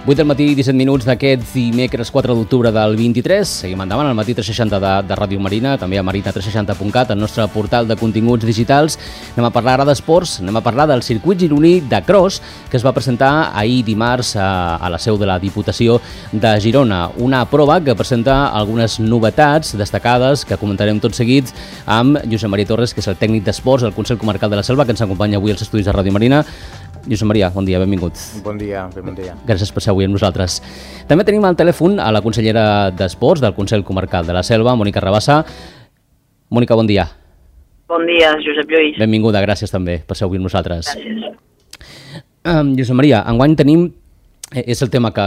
8 del matí, 17 minuts d'aquest dimecres 4 d'octubre del 23. Seguim endavant al matí 360 de Ràdio Marina, també a marina360.cat, el nostre portal de continguts digitals. Anem a parlar ara d'esports, anem a parlar del circuit gironí de cross que es va presentar ahir dimarts a la seu de la Diputació de Girona. Una prova que presenta algunes novetats destacades que comentarem tot seguit amb Josep Maria Torres, que és el tècnic d'esports del Consell Comarcal de la Selva, que ens acompanya avui als estudis de Ràdio Marina. Josep Maria, bon dia, benvingut. Bon dia, bon dia. Gràcies per ser avui amb nosaltres. També tenim al telèfon a la consellera d'Esports del Consell Comarcal de la Selva, Mònica Rabassa. Mònica, bon dia. Bon dia, Josep Lluís. Benvinguda, gràcies també per ser avui amb nosaltres. Gràcies. Josep Maria, enguany tenim, és el tema que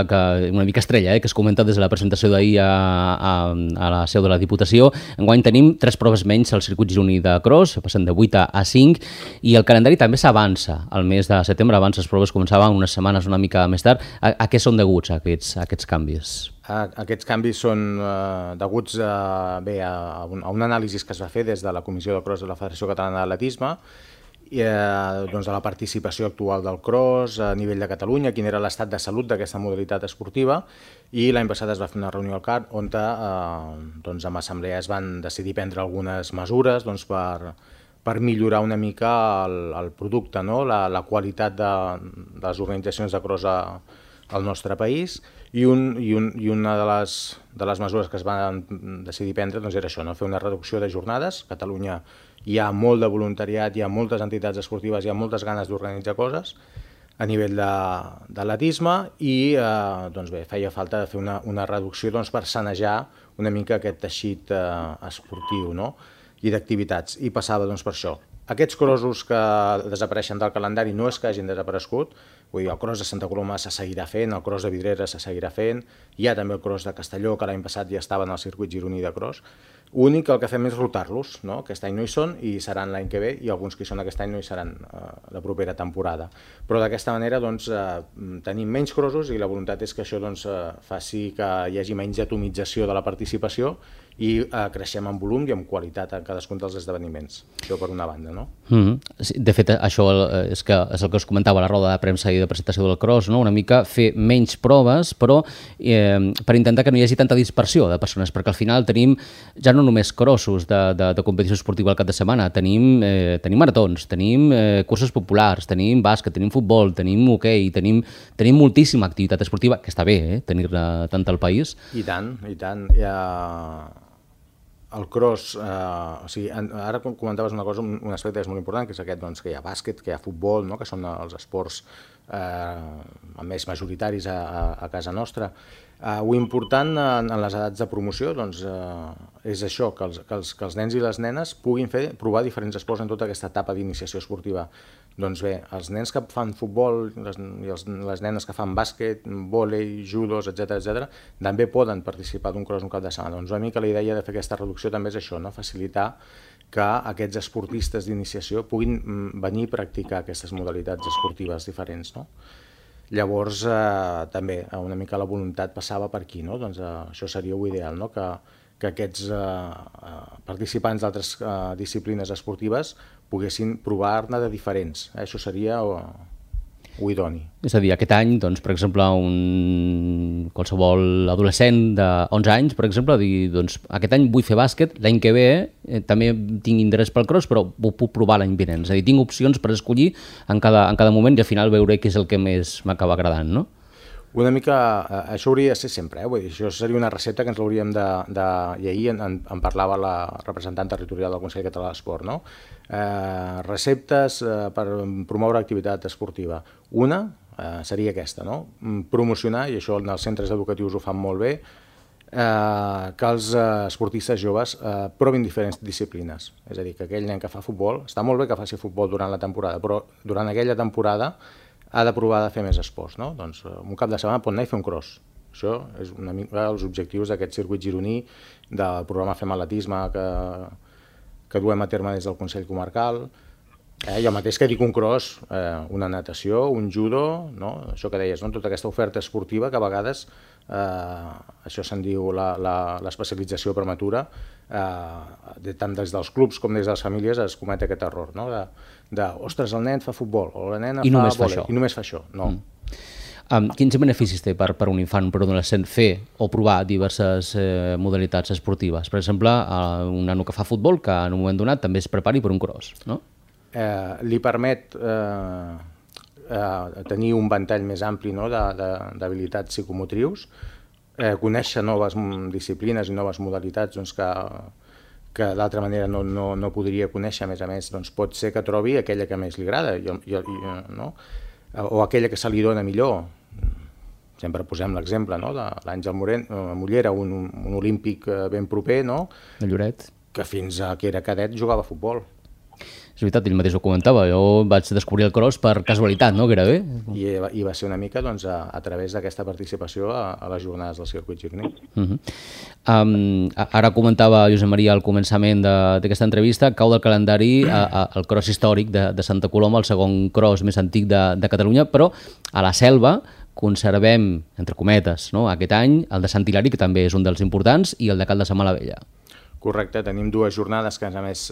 una mica estrella, que es comenta des de la presentació d'ahir a la seu de la Diputació. Enguany tenim 3 proves menys al circuit gironí de cross, passen de 8 a 5, i el calendari també s'avança. El mes de setembre, abans les proves començaven unes setmanes una mica més tard. A què són deguts aquests canvis? Aquests canvis són deguts a un anàlisi que es va fer des de la Comissió de Cross de la Federació Catalana d'Atletisme, de la participació actual del cross a nivell de Catalunya, quin era l'estat de salut d'aquesta modalitat esportiva, i l'any passat es va fer una reunió al CAT on amb assemblea es van decidir prendre algunes mesures per millorar una mica el producte, la qualitat de les organitzacions de cross al nostre país, i una de les mesures que es van decidir prendre era això, fer una reducció de jornades. A Catalunya hi ha molt de voluntariat, hi ha moltes entitats esportives, hi ha moltes ganes d'organitzar coses a nivell d'atletisme i feia falta fer una reducció per sanejar una mica aquest teixit esportiu i d'activitats, i passava per això. Aquests crossos que desapareixen del calendari no és que hagin desaparegut, vull dir, el cross de Santa Coloma se seguirà fent, el cross de Vidreres se seguirà fent, hi ha també el cross de Castelló, que l'any passat ja estava en el circuit gironí de cross. L'únic que el que fem és rotar-los, aquest any no hi són i seran l'any que ve, i alguns que hi són aquest any no hi seran la propera temporada. Però d'aquesta manera tenim menys crossos i la voluntat és que això faci que hi hagi menys atomització de la participació i creixem en volum i en qualitat en cadascun dels esdeveniments. Això per una banda, no? De fet, això és el que us comentava a la roda de premsa i de presentació del cross, una mica fer menys proves, però per intentar que no hi hagi tanta dispersió de persones, perquè al final tenim ja no només crossos de competició esportiva al cap de setmana, tenim maratons, tenim curses populars, tenim bàsquet, tenim futbol, tenim hoquei, tenim moltíssima activitat esportiva, que està bé, tenir-ne tant al país. I tant, i tant. El cross, ara comentaves una cosa, un aspecte que és molt important, que és aquest, que hi ha bàsquet, que hi ha futbol, que són els esports més majoritaris a casa nostra. L'important en les edats de promoció és això, que els nens i les nenes puguin provar diferents esports en tota aquesta etapa d'iniciació esportiva. Doncs bé, els nens que fan futbol i les nenes que fan bàsquet, vòlei, judos, etc., també poden participar d'un cross un cap de setmana. Doncs una mica la idea de fer aquesta reducció també és això, facilitar que aquests esportistes d'iniciació puguin venir a practicar aquestes modalitats esportives diferents. Llavors, també una mica la voluntat passava per aquí, això seria l'ideal, que aquests participants d'altres disciplines esportives poguessin provar-ne de diferents. Això seria idoni. És a dir, aquest any, per exemple, qualsevol adolescent de 11 anys, per exemple, dir, aquest any vull fer bàsquet, l'any que ve també tinc interès pel cross, però ho puc provar l'any vinent. És a dir, tinc opcions per escollir en cada moment i al final veuré què és el que més m'acaba agradant, no? Una mica, això hauria de ser sempre, vull dir, això seria una recepta que ens l'hauríem i ahir en parlava la representant territorial del Consell Català d'Esport, receptes per promoure activitat esportiva. Una seria aquesta, promocionar, i això els centres educatius ho fan molt bé, que els esportistes joves provin diferents disciplines. És a dir, que aquell nen que fa futbol, està molt bé que faci futbol durant la temporada, però durant aquella temporada ha de provar de fer més esports. Doncs un cap de setmana pot anar i fer un cross. Això és una mica els objectius d'aquest circuit gironí, del programa Fem Atletisme que duem a terme des del Consell Comarcal. Jo mateix que dic un cross, una natació, un judo, això que deies, tota aquesta oferta esportiva que a vegades, això se'n diu l'especialització prematura, tant des dels clubs com des de les famílies es comet aquest error, ostres, el nen fa futbol o la nena fa vòlei i només fa això. No. Quins beneficis té per un infant, per un adolescent, fer o provar diverses modalitats esportives? Per exemple, un nano que fa futbol, que en un moment donat també es prepari per un cross, no? Li permet tenir un ventall més ampli, no?, d'habilitats psicomotrius, conèixer noves disciplines i noves modalitats, doncs, que d'altra manera no podria conèixer. A més, doncs, pot ser que trobi aquella que més li agrada, no? O aquella que se li dona millor. Sempre posem l'exemple, no?, de l'Àngel Mollera, un olímpic ben proper, no?, de Lloret, que fins que era cadet jugava a futbol. És veritat, ell mateix ho comentava, jo vaig descobrir el cross per casualitat, no?, que era bé. I va ser una mica, doncs, a través d'aquesta participació a les jornades del circuit gironí. Ara comentava Josep Maria al començament d'aquesta entrevista, cau del calendari el cross històric de Santa Coloma, el segon cross més antic de Catalunya, però a la Selva conservem, entre cometes, no?, aquest any el de Sant Hilari, que també és un dels importants, i el de Caldes a Malavella. Correcte, tenim dues jornades que, a més,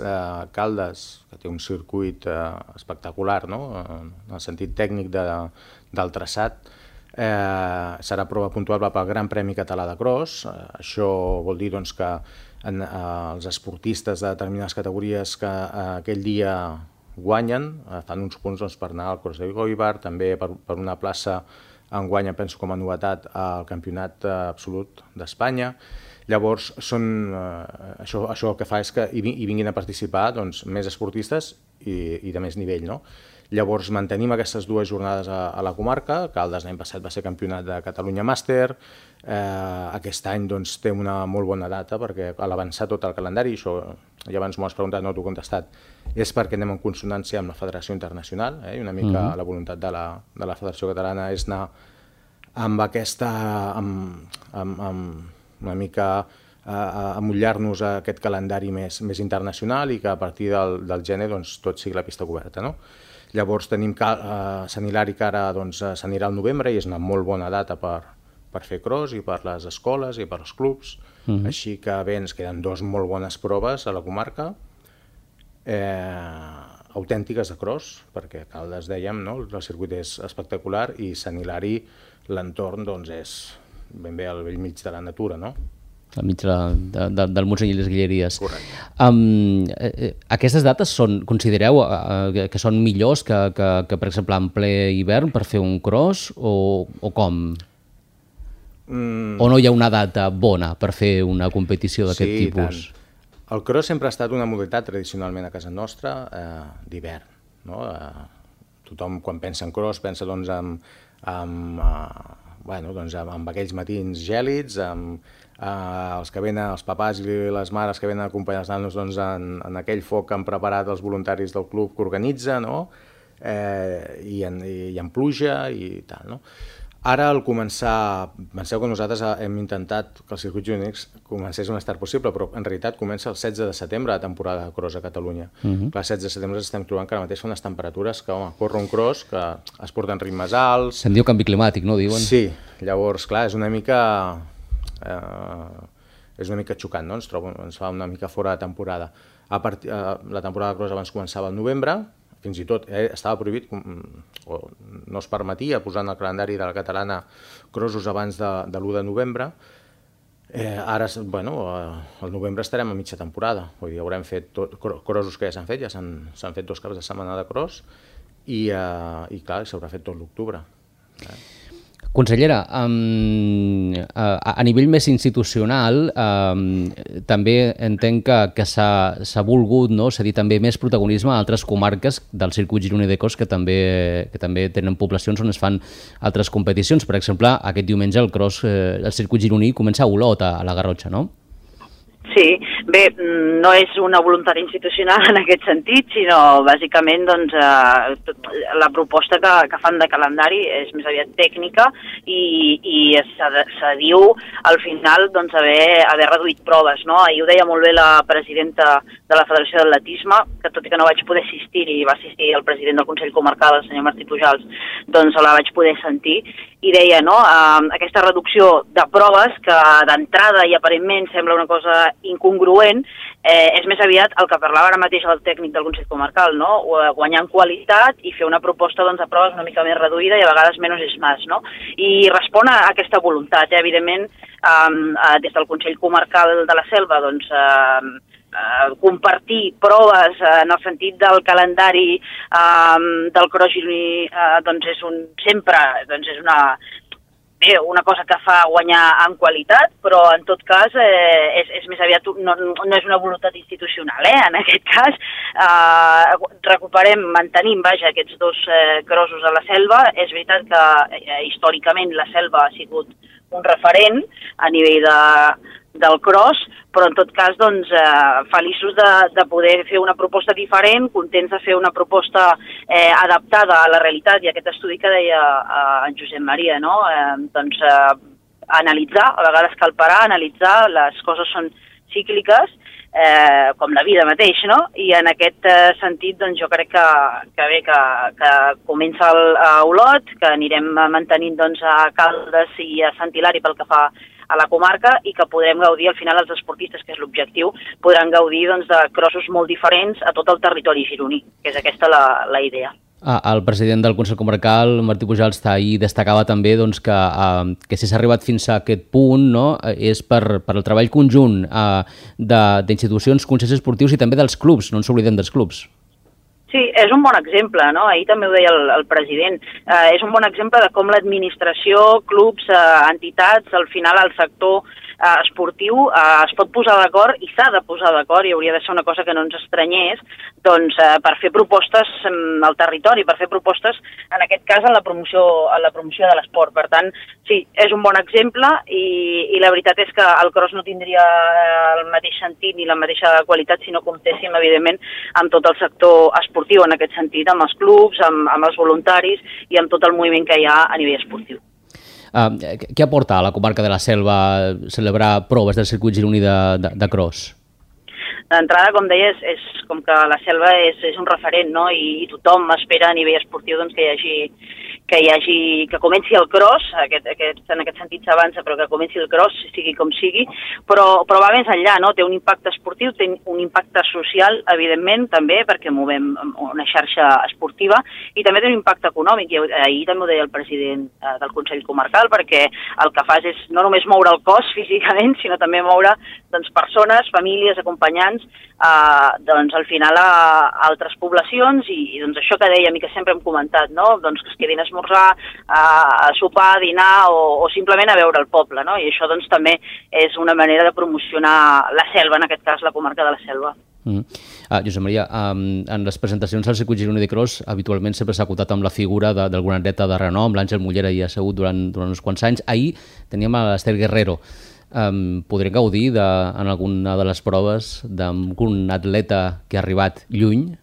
Caldes, que té un circuit espectacular, no?, en el sentit tècnic del traçat, serà prova puntuable pel Gran Premi Català de Cross. Això vol dir, doncs, que els esportistes de determinades categories que aquell dia guanyen fan uns punts, doncs, per anar al Cross de Goibar, també per una plaça enguany, penso com a novetat, al Campionat Absolut d'Espanya. Llavors, això el que fa és que hi vinguin a participar, doncs, més esportistes i de més nivell, no? Llavors, mantenim aquestes dues jornades a la comarca. Caldes l'any passat va ser campionat de Catalunya Màster. Aquest any, doncs, té una molt bona data, perquè a l'avançar tot el calendari, això ja abans m'ho has preguntat, no t'ho he contestat, és perquè anem en consonància amb la Federació Internacional, i una mica la voluntat de la Federació Catalana és anar amb aquesta... una mica amollar-nos a aquest calendari més internacional i que a partir del gener, doncs, tot sigui la pista coberta, no? Llavors tenim Sant Hilari, que ara, doncs, s'anirà al novembre i és una molt bona data per fer cross i per les escoles i per als clubs. Així que bé, ens queden dues molt bones proves a la comarca, autèntiques de cross, perquè Caldes, dèiem, no?, el circuit és espectacular, i Sant Hilari, l'entorn, doncs, és ben bé al bell mig de la natura, no? Al mig del Montseny i les Guilleries. Correcte. Aquestes dates considereu que són millors que, per exemple, en ple hivern per fer un cross, o com? O no hi ha una data bona per fer una competició d'aquest tipus? Sí, el cross sempre ha estat una modalitat tradicionalment a casa nostra d'hivern, no? Tothom, quan pensa en cross, pensa, doncs, amb aquells matins gèlids, amb els papàs i les mares que venen a acompanyar els nanos, doncs, en aquell foc que han preparat els voluntaris del club que organitza, no?, i en pluja i tal, no? Ara, al començar, penseu que nosaltres hem intentat que el circuit gironí comencés on estar possible, però en realitat comença el 16 de setembre la temporada de cross a Catalunya. Clar, el 16 de setembre estem trobant que ara mateix són unes temperatures que, home, corre un cross que es porten ritmes alts... Se'n diu canvi climàtic, no, diuen? Sí, llavors, clar, és una mica xocant, no? Ens fa una mica fora de temporada. La temporada de cross abans començava al novembre, fins i tot estava prohibit, o no es permetia posar en el calendari de la catalana crossos abans de l'1 de novembre. Ara, bueno, al novembre estarem a mitja temporada, vull dir, haurem fet crossos que ja s'han fet, ja s'han fet 2 caps de setmana de cross, i clar, s'haurà fet tot l'octubre. Consellera, a nivell més institucional, també entenc que s'ha volgut, no?, cedir també més protagonisme a altres comarques del circuit gironí de cross que també tenen poblacions on es fan altres competicions. Per exemple, aquest diumenge el circuit gironí comença a Olot, a la Garrotxa, no? Sí, bé, no és una voluntat institucional en aquest sentit, sinó bàsicament, doncs, la proposta que fan de calendari és més aviat tècnica i se diu al final, doncs, haver reduït proves, no? Ahir ho deia molt bé la presidenta de la Federació d'Atletisme, que tot i que no vaig poder assistir, i va assistir el president del Consell Comarcal, el senyor Martí Pujals, doncs la vaig poder sentir, i deia, no?, aquesta reducció de proves que d'entrada i aparentment sembla una cosa incongruent, és més aviat el que parlava ara mateix el tècnic del Consell Comarcal, no?, guanyar en qualitat i fer una proposta doncs, de proves una mica més reduïda i a vegades menys és més, no? I respon a aquesta voluntat, evidentment, des del Consell Comarcal de la Selva, doncs, compartir proves en el sentit del calendari del cross gironí doncs sempre és una cosa que fa guanyar en qualitat, però en tot cas és més aviat, no és una voluntat institucional, en aquest cas mantenim, aquests dos crossos a la Selva. És veritat que històricament la Selva ha sigut un referent a nivell del cross, però en tot cas doncs, feliços de poder fer una proposta diferent, contents de fer una proposta adaptada a la realitat i aquest estudi que deia en Josep Maria, no? Doncs analitzar, a vegades cal parar, analitzar, les coses són cícliques, com la vida mateix, no? I en aquest sentit doncs, jo crec que comença a Olot, que anirem mantenint doncs, a Caldes i a Sant Hilari pel que fa a la comarca i que podrem gaudir, al final els esportistes, que és l'objectiu, podran gaudir doncs, de crossos molt diferents a tot el territori gironí, que és aquesta la idea. El president del Consell Comarcal, Martí Pujals, ahir destacava també doncs, que si s'ha arribat fins a aquest punt, no, és per el treball conjunt d'institucions, consells esportius i també dels clubs, no ens oblidem dels clubs. Sí, és un bon exemple, no? Ahir també ho deia el president. És un bon exemple de com l'administració, clubs, entitats, al final el sector esportiu es pot posar d'acord i s'ha de posar d'acord, i hauria de ser una cosa que no ens estranyés, doncs per fer propostes al territori, per fer propostes, en aquest cas, en la promoció de l'esport. Per tant, sí, és un bon exemple i la veritat és que el cross no tindria el mateix sentit ni la mateixa qualitat si no comptéssim, evidentment, amb tot el sector esportiu en aquest sentit, amb els clubs, amb els voluntaris i amb tot el moviment que hi ha a nivell esportiu. Què aporta a la comarca de la Selva celebrar proves del circuit gironí de cross? D'entrada, com deies, és com que la Selva és un referent, no? I tothom espera a nivell esportiu doncs, que comenci el cross, en aquest sentit s'avança, però que comenci el cross, sigui com sigui, però va més enllà, no? Té un impacte esportiu, té un impacte social, evidentment, també, perquè movem una xarxa esportiva, i també té un impacte econòmic, i ahir també ho deia el president del Consell Comarcal, perquè el que fas és no només moure el cos físicament, sinó també moure doncs, persones, famílies, acompanyants, doncs, al final a altres poblacions, i doncs, això que dèiem i que sempre hem comentat, no? Doncs, que es quedin a esmorzar, a sopar, a dinar o simplement a veure el poble, no? I això doncs, també és una manera de promocionar la Selva, en aquest cas la comarca de la Selva. Josep Maria, en les presentacions al circuit gironí de cross habitualment sempre s'ha acotat amb la figura d'algun atleta de renom, l'Àngel Mollera hi ha segut durant uns quants anys. Ahir teníem l'Ester Guerrero. Podré gaudir en alguna de les proves d'algun atleta que ha arribat lluny?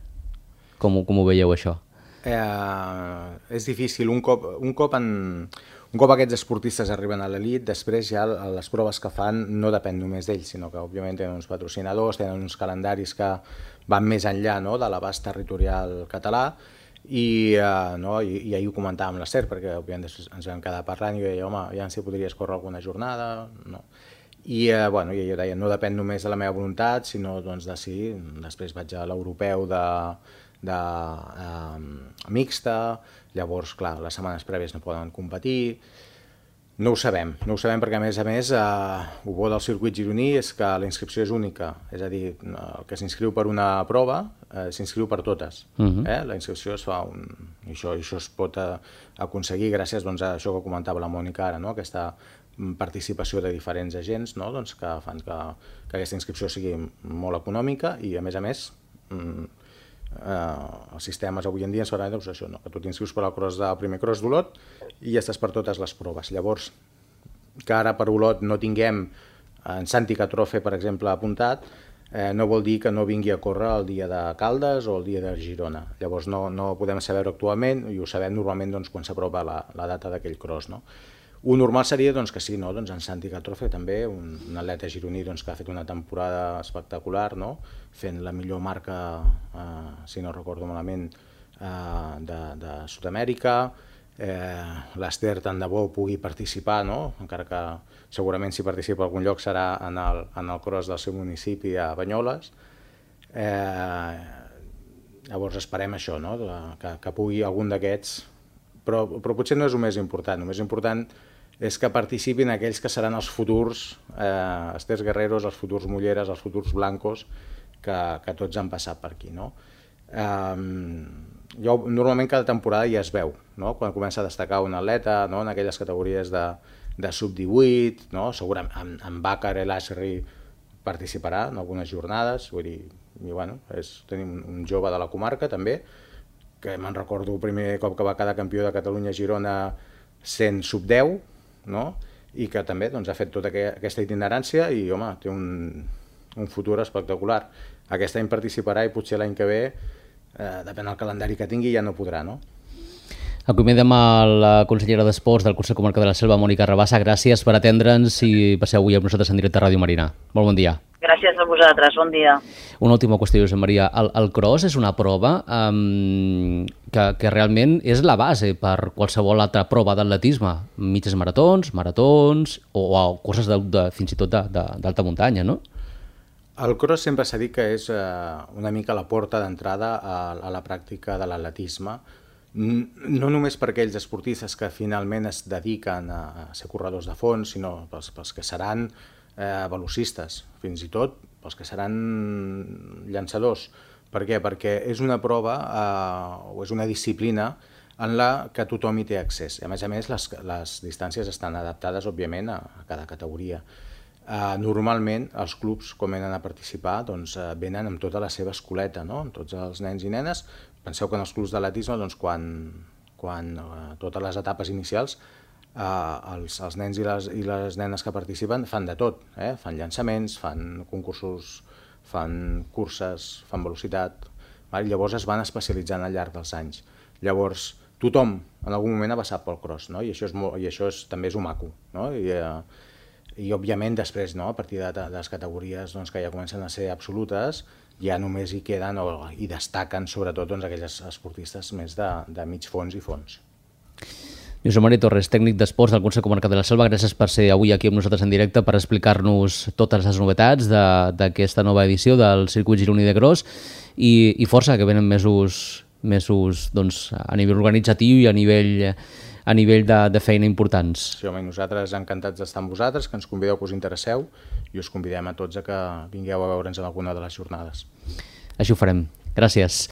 Com ho veieu, això? És difícil. Un cop aquests esportistes arriben a l'elit, després ja les proves que fan no depèn només d'ells, sinó que òbviament tenen uns patrocinadors, tenen uns calendaris que van més enllà, no?, de l'abast territorial català, i ahir ho comentàvem amb l'Ester, perquè òbviament ens vam quedar parlant i jo deia, home, ja si podries córrer alguna jornada, no? I jo deia, no depèn només de la meva voluntat, sinó doncs, de si després vaig a l'europeu de mixta, llavors, clar, les setmanes prèvies no poden competir. No ho sabem perquè, a més, el bo del circuit gironí és que la inscripció és única, és a dir, el que s'inscriu per una prova s'inscriu per totes. La inscripció es fa i això es pot aconseguir gràcies doncs, a això que comentava la Mònica ara, no? Aquesta participació de diferents agents, no? Doncs, que fan que aquesta inscripció sigui molt econòmica i, a més, els sistemes avui en dia ens faran això, no? Que tu t'inscrius per al primer cross d'Olot i ja estàs per totes les proves. Llavors, que ara per Olot no tinguem en Santi Catrofe, per exemple, apuntat, no vol dir que no vingui a córrer el dia de Caldes o el dia de Girona. Llavors no podem saber actualment i ho sabem normalment doncs, quan s'apropa la data d'aquell cross, no? Un normal seria doncs, que sí, no? Doncs en Santi Catrofe també, un atleta gironí doncs, que ha fet una temporada espectacular, no? Fent la millor marca, si no recordo malament, de Sud-amèrica, l'Ester tant de bo pugui participar, no? Encara que segurament si participa a algun lloc serà en el cross del seu municipi a Banyoles. Llavors esperem això, no? Que pugui algun d'aquests, però potser no és el més important. El més important és que participin aquells que seran els futurs Esters Guerreros, els futurs Mulleres, els futurs Blancos, que tots han passat per aquí, no? Normalment cada temporada ja es veu, no? Quan comença a destacar un atleta, no? En aquelles categories de sub-18, no? Segurament en Bàcar i l'Ashri participarà en algunes jornades, vull dir, i bueno, tenim un jove de la comarca també, que me'n recordo el primer cop que va quedar campió de Catalunya a Girona sent sub-10, no? I que també doncs, ha fet tota aquesta itinerància i home, té un futur espectacular. Aquest any participarà i potser l'any que ve, depèn del calendari que tingui, ja no podrà, no? Acomiadem a la consellera d'Esports del Consell Comarcal de la Selva, Mònica Rabassa. Gràcies per atendre'ns i passeu avui amb nosaltres en directe a Ràdio Marina. Molt bon dia. Gràcies a vosaltres, bon dia. Una última qüestió, Josep Maria. El cross és una prova que realment és la base per qualsevol altra prova d'atletisme. Mitges maratons o curses fins i tot d'alta muntanya, no? El cross sempre s'ha dit que és una mica la porta d'entrada a la pràctica de l'atletisme, no només per aquells esportistes que finalment es dediquen a ser corredors de fons, sinó pels que seran velocistes, fins i tot pels que seran llançadors. Per què? Perquè és una prova o és una disciplina en la que tothom hi té accés. A més, les distàncies estan adaptades, òbviament, a cada categoria. Normalment, els clubs, quan venen a participar, doncs, venen amb tota la seva escoleta, no? Amb tots els nens i nenes. Penseu que en els clubs d'atletisme, doncs, quan totes les etapes inicials, els nens i les nenes que participen fan de tot, fan llançaments, fan concursos, fan curses, fan velocitat, llavors es van especialitzant al llarg dels anys. Llavors tothom en algun moment ha passat pel cross, no? I això també és maco, no? I òbviament després, no? A partir de les categories que ja comencen a ser absolutes, ja només hi queden i destaquen sobretot aquells esportistes més de mig fons i fons. Josep Maria Torres, tècnic d'esports del Consell Comarcal de la Selva, gràcies per ser avui aquí amb nosaltres en directe per explicar-nos totes les novetats d'aquesta nova edició del Circuit Gironí de Cross i força, que venen mesos doncs, a nivell organitzatiu i a nivell de feina importants. Sí, home, i nosaltres encantats d'estar amb vosaltres, que ens convideu, que us interesseu, i us convidem a tots a que vingueu a veure'ns en alguna de les jornades. Així ho farem. Gràcies.